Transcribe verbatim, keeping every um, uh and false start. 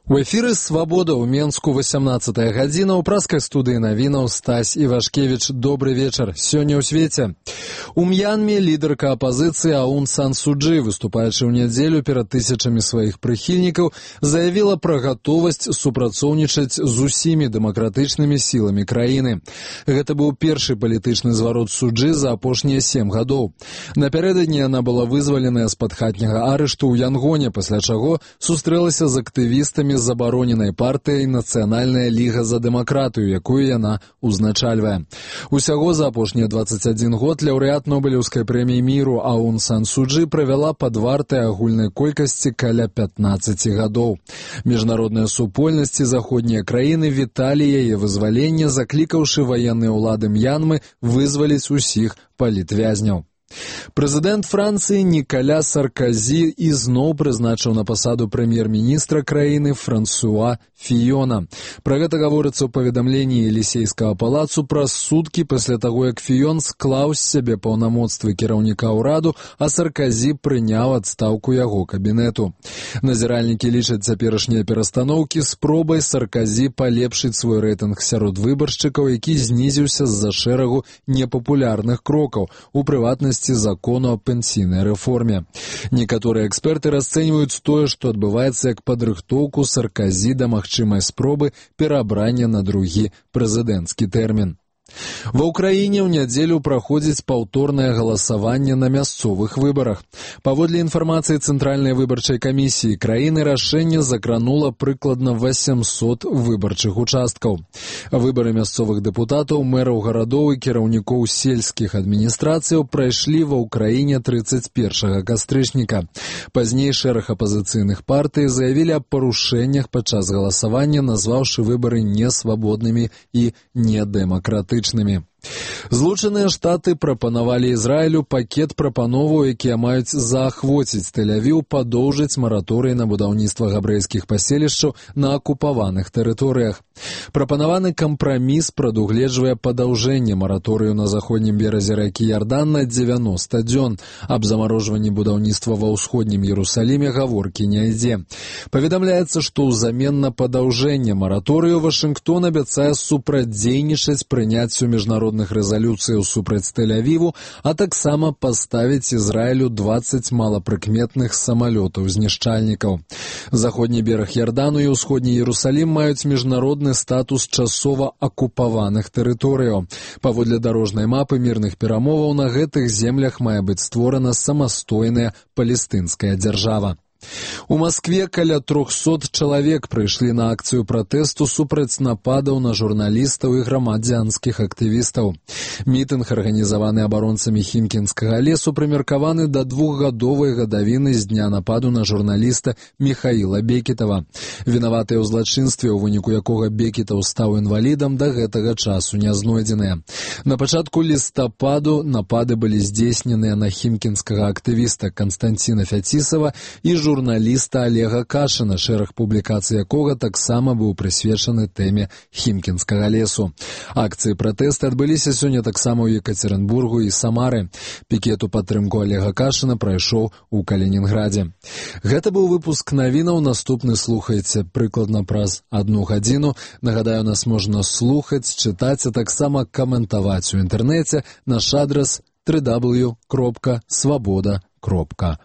У эфіры «Свабода» ў Менску васямнаццатая гадзіна, ў праскай студыі навінаў Стась Івашкевіч. Добры вечар. Сёння ў свеце. У Мьянме лідарка апазіцыі Аун Сан Су Чжы, выступаючы ў нядзелю перад тысячамі сваіх прыхільнікаў, заявіла пра гатовасць супрацоўнічаць з усімі дэмакратычнымі сіламі краіны. Гэта быў першы палітычны зварот Су Чжы за апошнія сем гадоў. Напярэдадні яна была вызваленая з-пад хатняга арышту ў Янгоне, пасля чаго сустрэлася з актывістамі з забароненай партыяй «Нацыянальная ліга за дэмакратыю», якую яна ўзначальвае. Усяго за апошнія дваццаць адзін год лаўрэат Нобелеўскай прэміі міру Аун Сан Су Чжы правяла пад вартай агульнай колькасці каля пятнаццаці гадоў. Міжнародныя супольнасці заходнія краіны віталі яе вызваленне, заклікаўшы ваенныя ўлады Мьянмы вызваліць усіх палітвязняў. Прэзідэнт Францыі Нікаля Сарказі ізноў прызначыў на пасаду прэм'ер-міністра краіны Франсуа Фіёна. Пра гэта гаворыцца ў паведамленні Елісейскага палацу праз суткі пасля таго, як Фіён склаў з сябе паўнамоцтвы кіраўніка ўраду, а Сарказі прыняў адстаўку яго кабінету. Назіральнікі лічаць цяперашнія перастаноўкі спробай Сарказі палепшыць свой рэйтынг сярод выбаршчыкаў, які знізіўся з-за шэрагу непапулярных крокаў, у прыватнасці закону о пенсійнай рэформе. Некаторыя эксперты расцэньваюць тое, што адбываецца як падрыхтоўку Сарказі да магчымай спробы перабрання на другі прэзідэнцкі тэрмін. Ва ўкраіне ў нядзелю праходзіць паўторнае галасаванне на мясцовых выбарах. Паводле інфармацыі Цэнтральнай выбарчай камісіі краіны, рашэнне закранула прыкладна васямсот выбарчых участкаў. Выбары мясцовых дэпутатаў, мэраў гарадоў і кіраўнікоў сельскіх адміністрацыяў прайшлі ва ўкраіне трыццаць першага кастрычніка. Пазней шэраг апазіцыйных партый заявілі аб парушэннях падчас галасавання, назваўшы выбары несвабоднымі і недэмакратычнымі. Злучаныя Штаты прапанавалі Ізраілю пакет прапановаў, якія маюць заахвоціць Тель-Авіў падоўжыць мараторый на будаўніцтва габрэйскіх паселішчаў на акупаваных тэрыторыях. Прапанаваны кампраміс прадугледжвае падаўжэнне мараторыю на заходнім беразе ракі Ярдан на дзевяноста дзён. Аб замарожванні будаўніцтва ва ўсходнім Іерусаліме гаворкі не ідзе. Паведамляецца, што ўзамен на падаўжэнне мараторыю Вашынгтон абяцае супрацьдзейнічаць прыняццю міжнародных рэзалюцыяў супраць Тель-Авіву, а таксама паставіць Ізраілю дваццаць малапрыкметных самалётаў-знішчальнікаў. Заходні бераг Ярдану і ўсходні Іерусалім маюць міжнародны статус часова акупаваных тэрыторыяў. Паводле дарожнай мапы мірных перамоваў на гэтых землях мае быць створана самастойная палестынская дзяржава. У Маскве каля трохсот чалавек прыйшлі на акцыю пратэсту супраць нападаў на журналістаў і грамадзянскіх актывістаў. Мітынг, арганізаваны абаронцамі Хімкінскага лесу, прымеркаваны да двухгадовай гадавіны з дня нападу на журналіста Міхаіла Бекетава. Вінаватыя ў злачынстве, у выніку якога Бекетаў стаў інвалідам, да гэтага часу не знойдзеныя. На пачатку лістападу напады былі здзейсненыя на хімкінскага актывіста Канстанціна Фяцісава і журналіста Олега Кашына, шэраг публікацый якога таксама быў прысвечаны тэме Хімкінскага лесу. Акцыі пратэсты адбыліся сёння таксама ў Екатеринбургу і Самары. Пікет у падтрымку Олега Кашына прайшоў у Калінінградзе. Гэта быў выпуск навінаў, наступны слухайце прыкладна праз адну гадзіну. Нагадаю, нас можна слухаць, чытаць, а таксама каментаваць у інтэрнэце. Наш адрас дабл ю дабл ю дабл ю кропка свабода кропка